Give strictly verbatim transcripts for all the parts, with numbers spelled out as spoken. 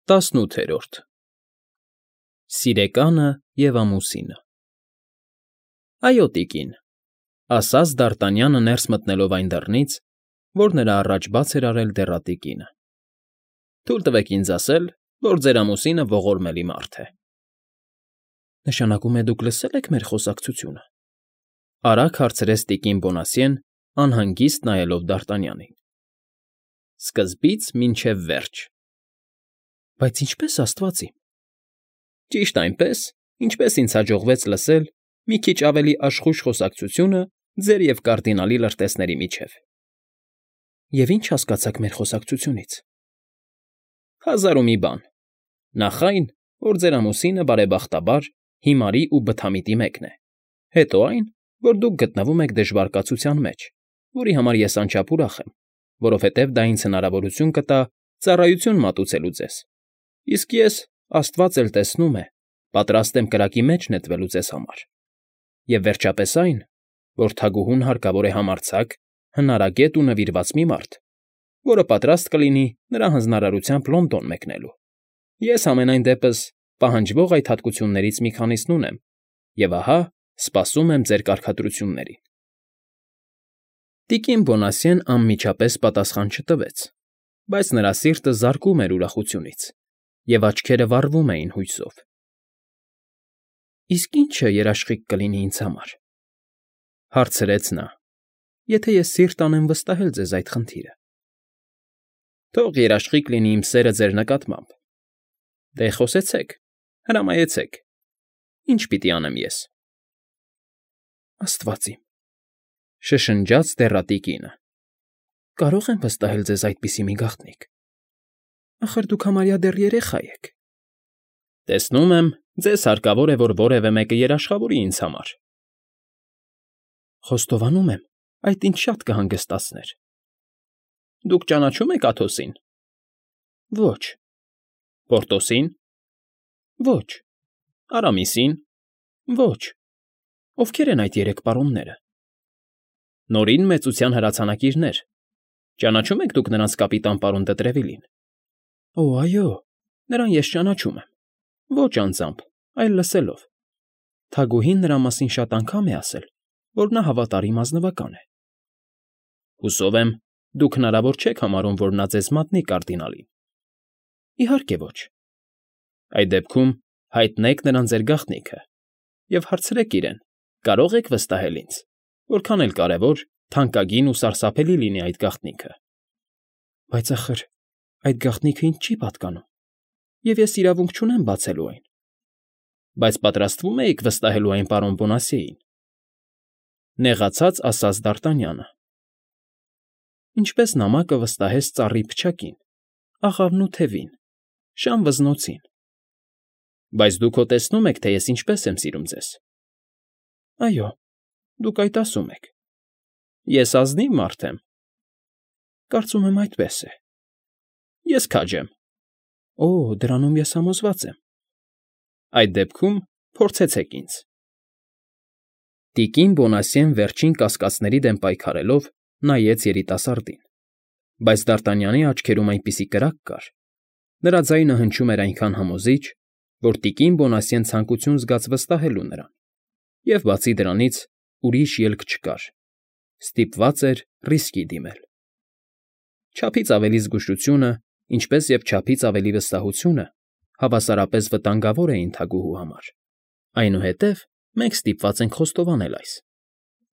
ՏԱՍՆՈՒԹԵՐՈՐԴ ՍԻՐԵԿԱՆԸ ԵՎ ԱՄՈՒՍԻՆԸ Այո, տիկին, ասաց Դարտանյանը ներս մտնելով այն դռնից, որ նրա առաջ բաց էր արել դեռատի կինը։ Թույլ տվեք ինձ ասել, որ ձեր ամուսինը ողորմելի մարդ է։ Նշանակում է դուք լսել եք մեր խոսակցությունը, արագ հարցրեց տիկին Բոնասյեն, անհանգիստ նայելով Դարտանյանին։ Սկզբից մինչև վերջ։ Բայց ինչպե՞ս, աստվածի։ Ճիշտ այնպես, ինչպես ինձ հաջողվեց լսել մի քիչ ավելի աշխույժ խոսակցությունը ձեր և կարդինալի լրտեսների միջև։ Եվ ի՞նչ հասկացաք մեր խոսակցությունից։ Հազար ու մի բան։ Նախ այն, որ ձեր ամուսինը բարեբախտաբար հիմարի ու բթամիտի մեկն է, հետո այն, որ դուք գտնվում եք դժվար կացության մեջ, որի համար ես անչափ ուրախ եմ, որովհետև դա ինձ հնարավորություն կտա ծառայություն մատուցելու ձեզ, իսկ ես, աստված էլ տեսնում է, պատրաստ եմ կրակի մեջ նետվելու ձեզ համար, և վերջապես այն, որ թագուհուն հարկավոր է համարձակ, հնարագետ ու նվիրված մի մարդ, որը պատրաստ կլինի նրա հանձնարարությամբ Լոնդոն մեկնելու։ Ես համենայն դեպս պահանջվող այդ հատկություններից մի քանիսն ունեմ, և ահա սպասում եմ ձեր կարգադրություններին։ Տիկին Բոնասյեն անմիջապես պատասխան չտվեց, բայց նրա սիրտը զարկում էր ուրախությունից, և աչքերը վառվում էին հույսով։ Իսկ ի՞նչը երաշխիք կլինի ինձ համար, հարցրեց նա, եթե ես սիրտ անեմ վստահել ձեզ այդ խնդիրը։ Թող երաշխիք լինի իմ սերը ձեր նկատմամբ։ Դե խոսեցեք, հրամայեցեք, ի՞նչ պիտի անեմ ես։ Աստված իմ, շշնջաց դեռատի կինը, կարո՞ղ եմ վստահել ձեզ այդպիսի մի գաղտնիք։ Ախր դուք համարյա դեռ երեխա եք։ Տեսնում եմ, ձեզ հարկավոր է, որ որևէ մեկը երաշխավորի ինձ համար։ Խոստովանում եմ, այդ ինձ շատ կհանգստացներ։ Դուք ճանաչո՞ւմ եք Աթոսին։ Ոչ։ Պորտոսին։ Ոչ։ Արամիսին։ Ոչ։ Ովքեր են այդ երեք պարոնները։ Նորին մեծության հրացանակիրներ։ Ճանաչո՞ւմ եք դուք նրանց կապիտան պարոն Դետրևիլին։ Օ, այո, նրան ես ճանաչում եմ։ Ոչ անձամբ, այլ լսելով։ Թագուհին նրա մասին շատ անգամ է ասել, որ նա հավատարիմ ազնվական է։ Հուսով եմ, դուք հնարավոր չեք համարում, որ նա ձեզ մատնի կարդինալին։ Իհարկե ոչ։ Այդ դեպքում հայտնեք նրան ձեր գաղտնիքը և հարցրեք իրեն, կարո՞ղ եք վստահել ինձ, որքան էլ կարևոր, թանկագին ու սարսափելի լինի այդ գաղտնիքը։ Բայց ախր այդ գաղտնիքը ինձ չի պատկանում, և ես իրավունք չունեմ բացելու այն։ Բայց պատրաստվում էիք վստահելու այն պարոն Բոնասյեին։ Նեղացած ասաց Դարտանյանը։ Ինչպես նամակը վստահեց ծառի փչակին, աղավն ու թևին, շան վզնոցին։ Բայց դուք հո տեսնում եք, թե ես ինչպես եմ սիրում ձեզ։ Այո, դուք այդ ասում եք։ Ես ազնիվ մարդ եմ։ Կարծում եմ այդպես է։ Ես քաջ եմ։ Օ, դրանում ես համոզված եմ։ Այդ դեպքում փորձեցեք ինձ։ Տիկին Բոնասյեն վերջին կասկածների դեմ պայքարելով նայեց երիտասարդին, բայց Դարտանյանի աչքերում այնպիսի կրակ կար, նրա ձայնը հնչում էր այնքան համոզիչ, որ տիկին Բոնասյեն ցանկություն զգաց վստահելու նրան, և բացի դրանից ուրիշ ելք չկար, ստիպված էր ռիսկի դիմել։ Չափից ավելի զգուշությունը, ինչպես և չափից ավելի վստահությունը հավասարապես վտանգավոր էին թագուհու համար, այնուհետև մենք ստիպված ենք խոստովանել այս։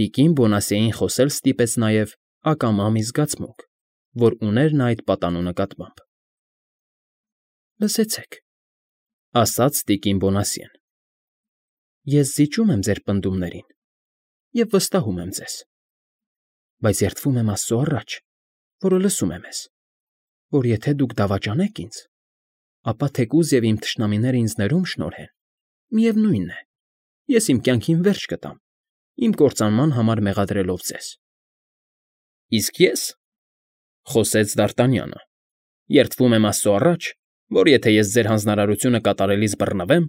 Տիկին Բոնասյեին խոսել ստիպեց նաև ակամա մի զգացմունք, որ ուներ նա այդ պատանու նկատմամբ։ Լսեցեք, ասաց տիկին Բոնասյեն, ես զիջում եմ ձեր պնդումներին և վստահում եմ ձեզ, բայց երդվում եմ Աստծո առաջ, որը լսում է մեզ, որ եթե դուք դավաճանեք ինձ, ապա թեկուզ և իմ թշնամիները ինձ ներում շնորհեն, միևնույն է, ես իմ կյանքին վերջ կտամ, իմ կործանման համար մեղադրելով ձեզ։ Իսկ ես, խոսեց Դարտանյանը, երդվում եմ Աստծո առաջ, որ եթե ես ձեր հանձնարարությունը կատարելիս բռնվեմ,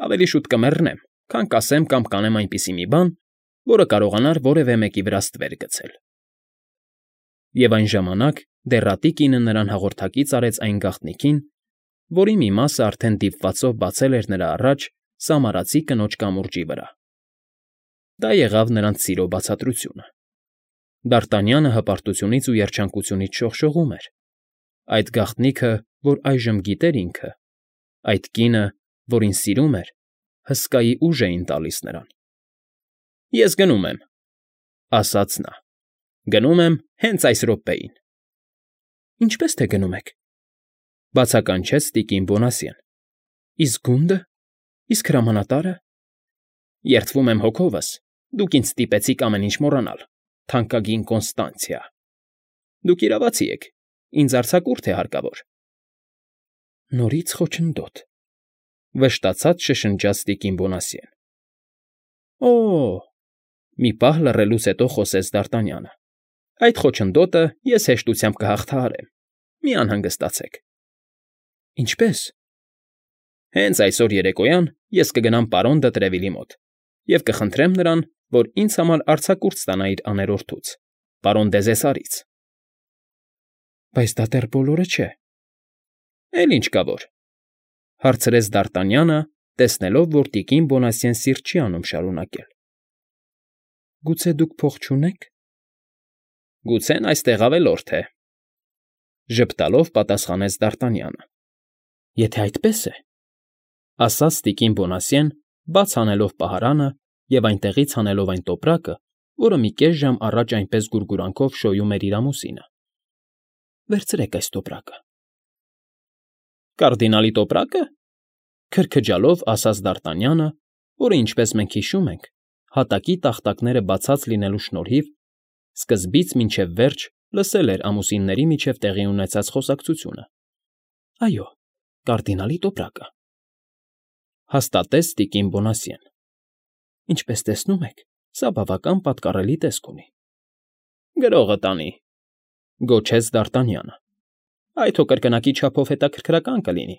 ավելի շուտ կմեռնեմ, քան կասեմ կամ կանեմ այնպիսի մի բան, որը կարողանար որևէ մեկի վրա ստվեր գցել։ Եվ այն ժամանակ դեռատի կինը նրան հաղորդակից արեց այն գաղտնիքին, որի մի մասը արդեն դիպվածով բացել էր նրա առաջ սամարացի կնոջ կամուրջի վրա։ Դա եղավ նրանց սիրո բացատրությունը։ Դարտանյանը հպարտությունից ու երջանկությունից շողշողում էր։ Այդ գաղտնիքը, որ այժմ գիտեր ինքը, այդ կինը, որին սիրում էր, հսկայի ուժ էին տալիս նրան։ ֊ Ես գնում եմ,֊ ասաց նա,֊ գնում եմ հենց այս րոպեին։ ֊ Ինչպե՞ս թե գնում եք,֊ բացականչեց տիկին Բոնասյեն։ ֊ Իսկ գունդը, իսկ հրամանատարը… Երդվում եմ հոգովս, դուք ինձ ստիպեցիք ամեն ինչ մոռանալ, թանկագին Կոնստանցիա… Դուք իրավացի եք, ինձ արձակուրդ է հարկավոր… Նորից խոչընդոտ…֊ վշտացած շշնջաց տիկին Բոնասյեն։ ֊ Օ՜օ,֊ մի պահ լռելուց հետո խոսեց Դարտանյանը,֊ այդ խոչընդոտը ես հեշտությամբ կհաղթահարեմ, մի անհանգստացեք։ ֊ Ինչպե՞ս։ ֊ Հենց այսօր երեկոյան ես կգնամ պարոն դը Տրևիլի մոտ և կխնդրեմ նրան, որ ինձ համար արձակուրդ ստանա իր աներորդուց, պարոն Դեզեսարից։ ֊ Բայց դա դեռ բոլորը չէ… ֊ Էլ ինչ կա որ,֊ հարցրեց Դարտանյանը, տեսնելով, որ տիկին Բոնասյեն սիրտ չի անում շարունակել։ ֊ Գուցե դուք փող չունե՞ք։ ֊ Գուցեն այստեղ ավելորդ է,֊ ժպտալով պատասխանեց Դարտանյանը։ ֊ Եթե այդպես է,֊ ասաց տիկին Բոնասյեն, բաց հանելով պահարանը և այնտեղից հանելով այն տոպրակը, որը մի կես ժամ առաջ այնպես գուրգուրանքով շոյում էր իր ամուսինը,֊ վերցրեք այս տոպրակը։ ֊ Կարդինալի տոպրակը,֊ քրքջալով ասաց Դարտանյանը, որը, ինչպես մենք հիշում ենք, հատակի տախտակները բացած լինելու շնորհիվ սկզբից մինչև վերջ լսել էր ամուսինների միջև տեղի ունեցած խոսակցությունը։ ֊ Այո, կարդինալի տոպրակը,֊ հաստատեց տիկին Բոնասյեն։ ֊ Ինչպես տեսնում եք, սա բավական պատկառելի տեսք ունի։ ֊ Գրողը տանի,֊ գոչեց Դարտանյանը,֊ այդ հո կրկնակի չափով հետաքրքրական կլինի,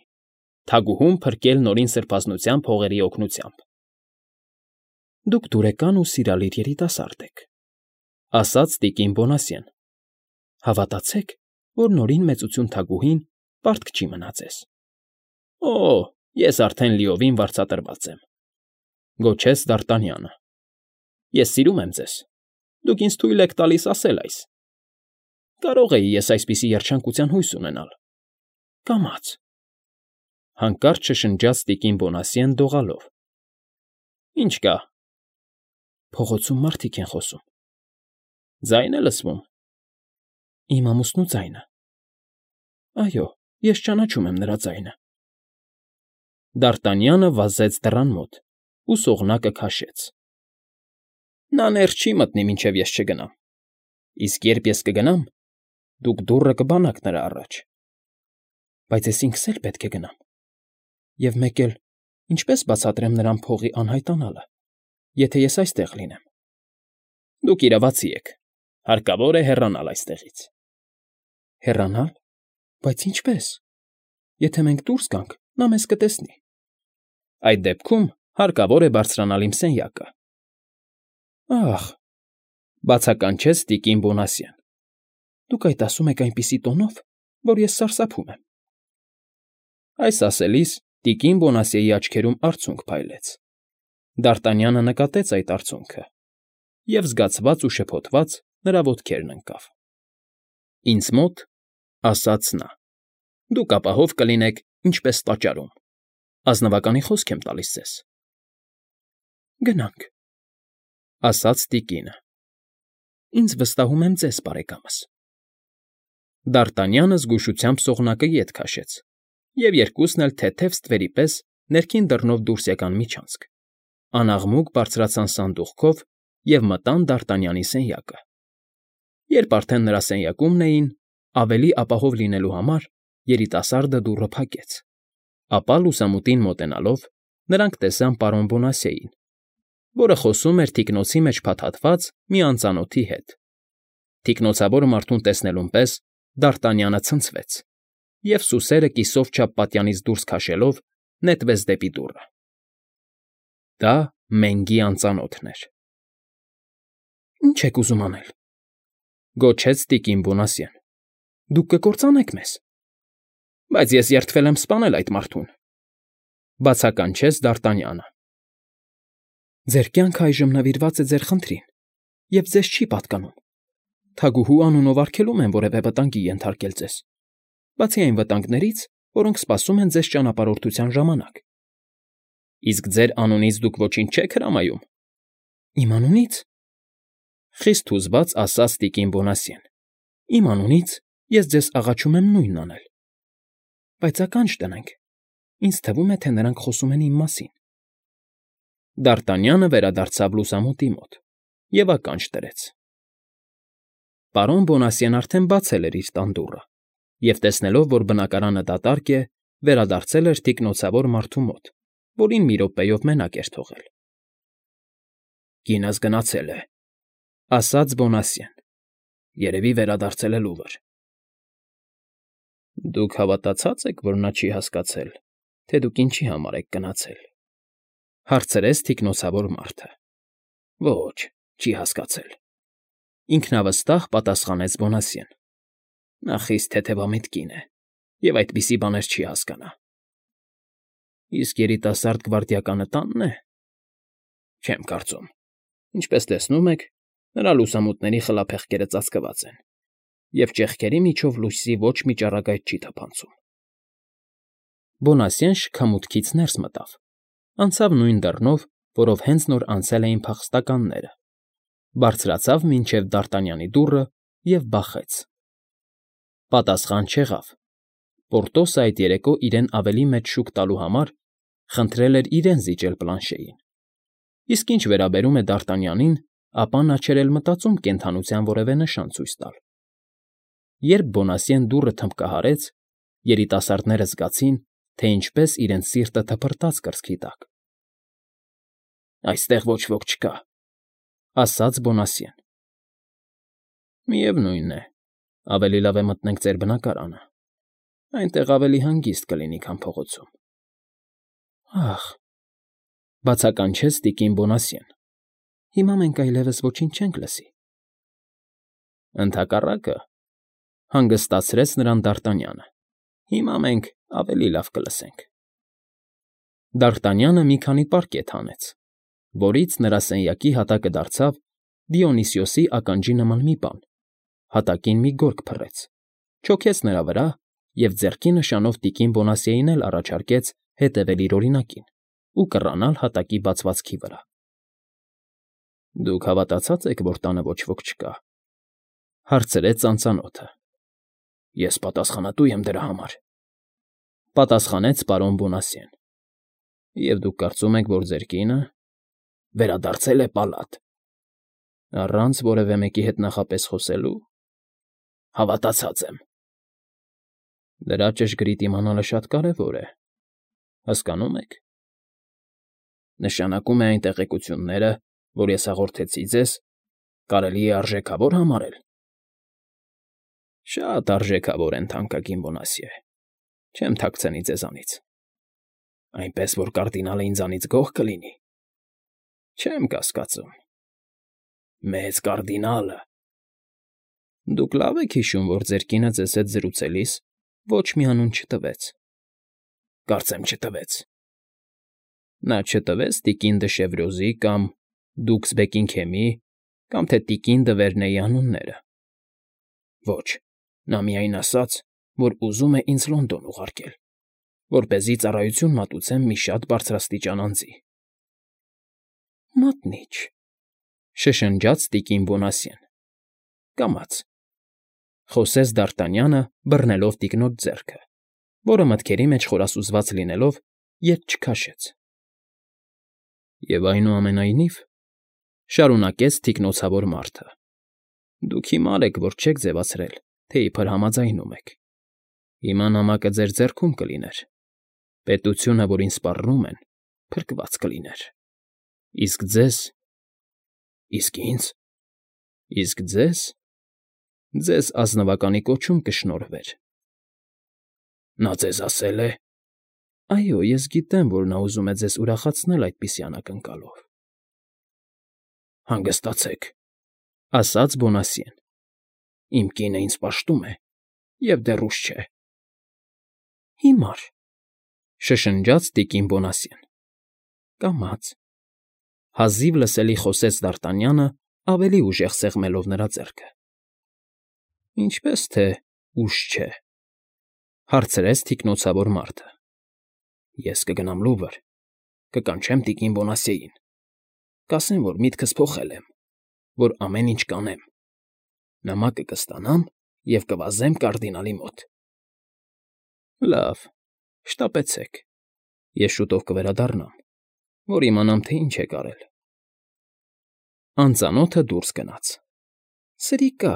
թագուհուն փրկել Նորին Սրբազնությամբ հողերի օգնությամբ։ ֊ Դուք դուրեկան ու սիրալիր երիտասարդ եք,֊ ասաց տիկին Բոնասյեն։ ֊ Հավատացեք, որ Նորին Մեծություն թագուհին պարտք չի մնա ձեզ։ ֊ Օ՜, ես արդեն լիովին վարձատրված եմ,֊ գոչեց Դարտանյանը։ ֊ Ես սիրում եմ ձեզ, դուք ինձ թույլ եք տալիս ասել այս… Կարո՞ղ էի ես այսպիսի երջանկության հույս ունենալ։ ֊ Կամաց,֊ հանկարծ շշնջաց տիկին Բոնասյեն դողալով։ ֊ Ինչ կա։ ֊ Փողոցում մարդիկ են խոսում։ ֊ Ձայն է լսվում։ ֊ Իմ ամուսնու ձայնը։ ֊ Այո, ես ճանաչում եմ նրա ձայնը։ Դարտանյանը վազեց դռան մոտ ու սողնակը քաշեց։ ֊ Նա ներս չի մտնի, մինչև ես չգնամ, իսկ երբ ես կգնամ, դուք դուռը կբանաք նրա առաջ։ ֊ Բայց ես ինքս էլ պետք է գնամ… Եվ մեկ էլ ինչպե՞ս բացատրեմ նրան փողի անհայտանալը, եթե ես այստեղ լինեմ։ ֊ Դուք իրավացի եք, հարկավոր է հեռանալ այստեղից։ ֊ Հեռանալ… Բայց ինչպե՞ս… Եթե մենք դուրս գանք, նա մեզ կտեսնի։ ֊ Այդ դեպքում հարկավոր է բարձրանալ իմ սենյակը։ ֊ Ա՜խ,֊ բացականչեց տիկին Բոնասյեն,֊ դուք այդ ասում եք այնպիսի տոնով, որ ես սարսափում եմ։ Այս ասելիս տիկին Բոնասյեի աչքերում արցունք փայլեց։ Դարտանյանը նկատեց այդ արցունքը և, զգացված ու շփոթված, նրա ոտքերն ընկավ։ ֊ Ինձ մոտ,֊ ասաց նա,֊ դուք ապահով կլինեք ինչպես տաճարում, ազնվականի խոսք եմ տալիս ձեզ։ ֊ Գնանք,֊ ասաց տիկինը։ ֊ Ինձ վստահում եմ ձեզ, բարեկամս։ Դարտանյանը զգուշությամբ սողնակը ետ քաշեց, և երկուսն էլ թեթև ստվերի պես ներքին դռնով դուրս եկան միջանցք, անաղմուկ բարձրացան սանդուղքով և մտան Դարտանյանի սենյակը։ Երբ արդեն նրա սենյակումն էին, ավելի ապահով լինելու համար երիտասարդը դուռը փակեց, ապա լուսամուտին մոտենալով նրանք տեսան պարոն Բոնասյեին, որը խոսում էր թիկնոցի մեջ փաթաթված մի անծանոթի հետ։ Թիկնոցավոր մարդուն տեսնելուն պես Դարտանյանը ցնցվեց և, սուսերը կիսով չափ պատյանից դուրս քաշելով, նետվեց դեպի դուռը։ Դա Մենգի անծանոթն էր։ ֊ Ի՞նչ եք ուզում անել,֊ գոչեց տիկին Բոնասյեն։ ֊ Դուք կկործանեք մեզ։ Բայց ես երդվել եմ սպանել այդ մարդուն,֊ բացականչեց Դ'Արտանյանը։ Ձեր կյանքը այժմ նվիրված է ձեր խնդրին, և ձեզ չի պատկանում. թագուհու անունով արգելում եմ որևէ վտանգի ենթարկել ձեզ, բացի այն վտանգներից, որոնք սպասում են ձեզ ճանապարհորդության ժամանակ։ Իսկ ձեր անունից դուք ոչինչ չեք հրամայում։ Իմ անունից,֊ խիստ հուզված ասաց տիկին Բոնասյեն,֊ իմ անունից ես ձեզ աղաչում եմ նույնն անել։ Բայց ականջ դնենք, ինձ թվում է, թե նրանք խոսում են իմ մասին։ Դ'Արտանյանը վերադարձավ լուսամուտի մոտ և ականջ դրեց։ Պարոն Բոնասյեն արդեն բացել էր իր տան դուռը և, տեսնելով, որ բնակարանը դատարկ է, վերադարձել էր թիկնոցավոր մարդու մոտ, որին մի րոպեով մենակ էր թողել։ Կինս գնացել է,֊ ասաց Բոնասյեն,֊ երևի վերադարձել է լուռ։ Դուք հավատացած եք, որ նա չի հասկացել, թե դուք ինչի համար եք գնացել,֊ հարցրեց թիկնոցավոր մարդը։ Ոչ, չի հասկացել,֊ ինքնավստահ պատասխանեց Բոնասյեն։ Նա խիստ թեթևամիտ կին է և այդպիսի բաներ չի հասկանա։ Իսկ երիտասարդ գվարդիականը տա՞նն է։ Չեմ կարծում։ Ինչպես տեսնում եք, նրա լուսամուտների խլափեղկերը ծածկված են, և ճեղքերի միջով լույսի ոչ մի ճառագայթ չի թափանցում։ Բոնասյեն շքամուտքից ներս մտավ, անցավ նույն դռնով, որով հենց նոր անցել էին փախստականները, բարձրացավ մինչև Դ'Արտանյանի դուռը և բախեց։ Պատասխան չեղավ։ Պորտոսը այդ երեկո իրեն ավելի մեծ շուկ տալու համար խնդրել էր իրեն զիջել պլանշեին, իսկ ինչ վերաբերում է Դ'Արտանյանին, ապա նա չէր էլ մտածում կենդանության որևէ նշան ցույց տալ։ Երբ Բոնասյեն դուռը թմբկահարեց, երիտասարդները զգացին, թե ինչպես իրենց սիրտը թփրտաց կրծքի տակ։ Այստեղ ոչ ոք չկա,֊ ասաց Բոնասյեն։ Միևնույն է, ավելի լավ է մտնենք ձեր բնակարանը, այնտեղ ավելի հանգիստ կլինի, քան փողոցում։ Ախ,֊ բացականչեց տիկին Բոնասյեն,֊ հիմա մենք այլևս ոչինչ չենք լսի։ Ընդհակառակը,֊ հանգստացրեց նրան Դ'Արտանյանը,֊ հիմա մենք ավելի լավ կլսենք։ Դ'Արտանյանը մի քանի պարկետ հանեց, որից նրա սենյակի հատակը դարձավ Դիոնիսիոսի ականջի նման մի բան, հատակին մի գորգ փռեց, չոքեց նրա վրա և ձեռքի նշանով տիկին Բոնասյենին էլ առաջարկեց հետևել իր օրինակին ու կռանալ հատակի բացվածքի վրա։ Դուք հավատացած եք, որ տանը ոչ ոք չկա,֊ հարցրեց ծանծանոթը։ Ես պատասխանատու եմ դրա համար,֊ պատասխանեց պարոն Բոնասյեն։ Եվ դուք կարծում եք, որ ձեր կինը վերադարձել է պալատ, առանց որևէ մեկի հետ նախապես խոսելու։ Հավատացած եմ։ Դրա ճշգրիտ իմանալը շատ կարևոր է, հասկանո՞ւմ եք։ Նշանակում է այն տեղեկությունները, որ ես հաղորդեցի ձեզ, կարելի է արժեքավոր համարել։ Շատ արժեքավոր են, թանկագին Բոնասյե, չեմ թաքցնի ձեզանից։ Այնպես որ կարդինալը ինձանից գոհ կլինի։ Չեմ կասկածում։ Մեծ կարդինալը։ Դուք լավ եք հիշում, որ ձեր կինը ձեզ հետ զրուցելիս ոչ մի անուն չտվեց։ Կարծեմ չտվեց։ Նա չտվեց տիկին դը Շևրոզի կամ դուքս Բեկինգհեմի կամ թե տիկին դը Վերնեի անունները։ Ոչ, նա միայն ասաց, որ ուզում է ինձ Լոնդոն ուղարկել, որպեսզի ծառայություն մատուցեմ մի շատ բարձրաստիճան անձի։ Մատնի՛չ,֊ շշնջաց տիկին Բոնասյեն։ Կամաց,֊ խոսեց Դ'Արտանյանը, բռնելով տիկնոջ ձեռքը, որը մտքերի մեջ խորասուզված լինելով, ետ չքաշեց։ Եվ այնուամենայնիվ,֊ շարունակեց թիկնոցավոր մարդը,֊ դուք հիմար եք, որ չեք ձևացրել, թե իբր համաձայնում եք։ Հիմա նամակը ձեր ձեռքում կլիներ, պետությունը, որին սպառնում են, փրկված կլիներ։ Իսկ ձեզ… Իսկ ինձ… Իսկ ձեզ… Ձեզ ազնվականի կոչում կշնորհվեր։ Նա ձեզ ասել է… Այո, ես գիտեմ, որ նա ուզում է ձեզ ուրախացնել այդպիսի անակնկալով։ Հանգստացեք,֊ ասաց Բոնասյեն։ Իմ կինը ինձ պաշտում է և դեռ ուշ չէ։ Հիմար,֊ շշնջաց տիկին Բոնասյեն։ ֊ Կամաց,֊ հազիվ լսելի խոսեց Դարտանյանը, ավելի ուժեղ սեղմելով նրա ձեռքը։ ֊ Ինչպե՞ս թե ուժ չէ,֊ հարցրեց թիկնոցավոր մարդը։ ֊ Ես կգնամ Լուվր, կկանչեմ տիկին Բոնասյեին, կասեմ, որ միտքս փոխել եմ, որ ամեն ինչ կանեմ, նամակը կստանամ և կվազեմ կարդինալի մոտ։ ֊ Լավ, շտապեցեք, ես շուտով կվերադառնամ, որ իմանամ, թե ինչ եք արել։ Անծանոթը դուրս գնաց։ ֊ Սրիկա,֊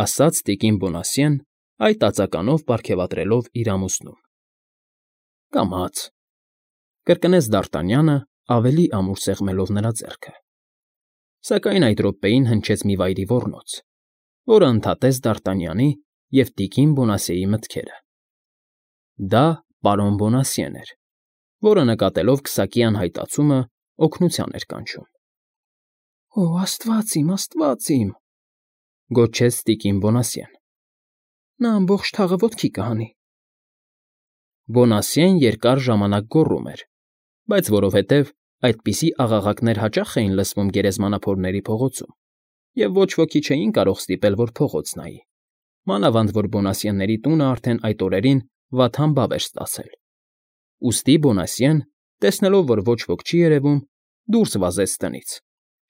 ասաց տիկին Բոնասյեն, այդ ածականով պարգևատրելով իր ամուսնուն։ ֊ Կամաց,֊ կրկնեց Դարտանյանը, ավելի ամուր սեղմելով նրա ձեռքը, սակայն այդ րոպեին հնչեց մի վայրի ոռնոց, որը ընդհատեց Դարտանյանի և տիկին Բոնասյեի մտքերը. դա պարոն Բոնասյեն էր, որը, նկատելով քսակի անհայտացումը, օգնության էր կանչում։ ֊ Օ աստված իմ, աստված իմ,֊ գոչեց տիկին Բոնասյեն,֊ նա ամբողջ թաղը ոտքի կհանի։ Բոնասյեն երկար ժամանակ գոռում էր, բայց որովհետև այդպիսի աղաղակներ հաճախ էին լսվում գերեզմանափորների փողոցում, և ոչ ոքի չէին կարող ստիպել, որ փողոց նայի, մանավանդ որ Բոնասյենների տունը արդեն այդ օրերին վատ համբավ էր ստացել, ուստի Բոնասյեն, տեսնելով, որ ոչ ոք չի երևում, դուրս վազեց տնից,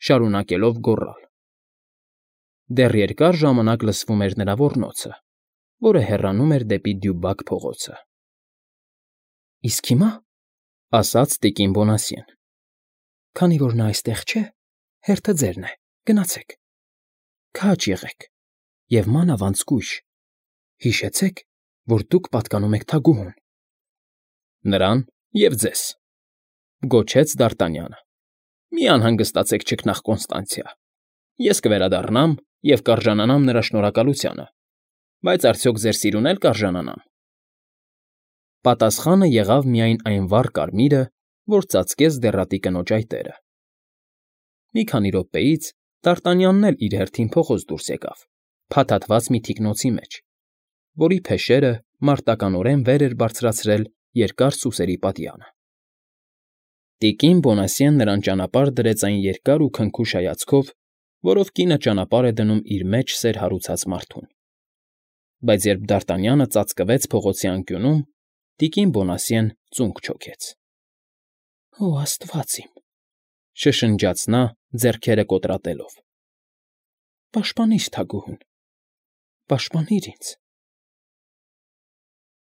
շարունակելով գոռալ։ Դեռ երկար ժամանակ լսվում էր նրա ոռնոցը, որը հեռանում էր դեպի Դյուբակ փողոցը։ ֊ Իսկ հիմա,֊ ասաց տիկին Բոնասյեն,֊ քանի որ նա այստեղ չէ, հերթը ձերն է, գնացեք, քաջ եղեք և մանավանդ զգույշ, հիշեցեք, որ դուք պատկանում եք թագուհուն։ ֊ Նրան և ձեզ,֊ գոչեց Դարտանյանը,֊ մի անհանգստացեք չքնաղ Կոնստանցիա, ես կվերադառնամ և կարժանանամ նրա շնորհակալությանը, բայց արդյոք ձեր սիրուն էլ կարժանանամ։ Պատասխանը եղավ միայն այն վառ կարմիրը, որ ծածկեց դեռատի կնոջ այտերը։ Մի քանի րոպեից Դարտանյանն էլ իր հերթին փողոց դուրս եկավ, փաթաթված մի թիկնոցի մեջ, որի փեշերը մարտականորեն վեր էր բարձրացրել երկար սուսերի պատյանը։ Տիկին Բոնասյեն նրան ճանապարհ դրեց այն երկար ու քնքուշ հայացքով, որով կինը ճանապարհ է դնում իր մեջ սեր հարուցած մարդուն։ Բայց երբ Դարտանյանը ծածկվեց փողոցի անկյունում, տիկին Բոնասյեն ծունկ չոքեց։ ֊ Օ աստված իմ,֊ շշնջաց նա, ձեռքերը կոտրատելով,֊ պաշտպանիր թագուհուն, պաշտպանիր ինձ։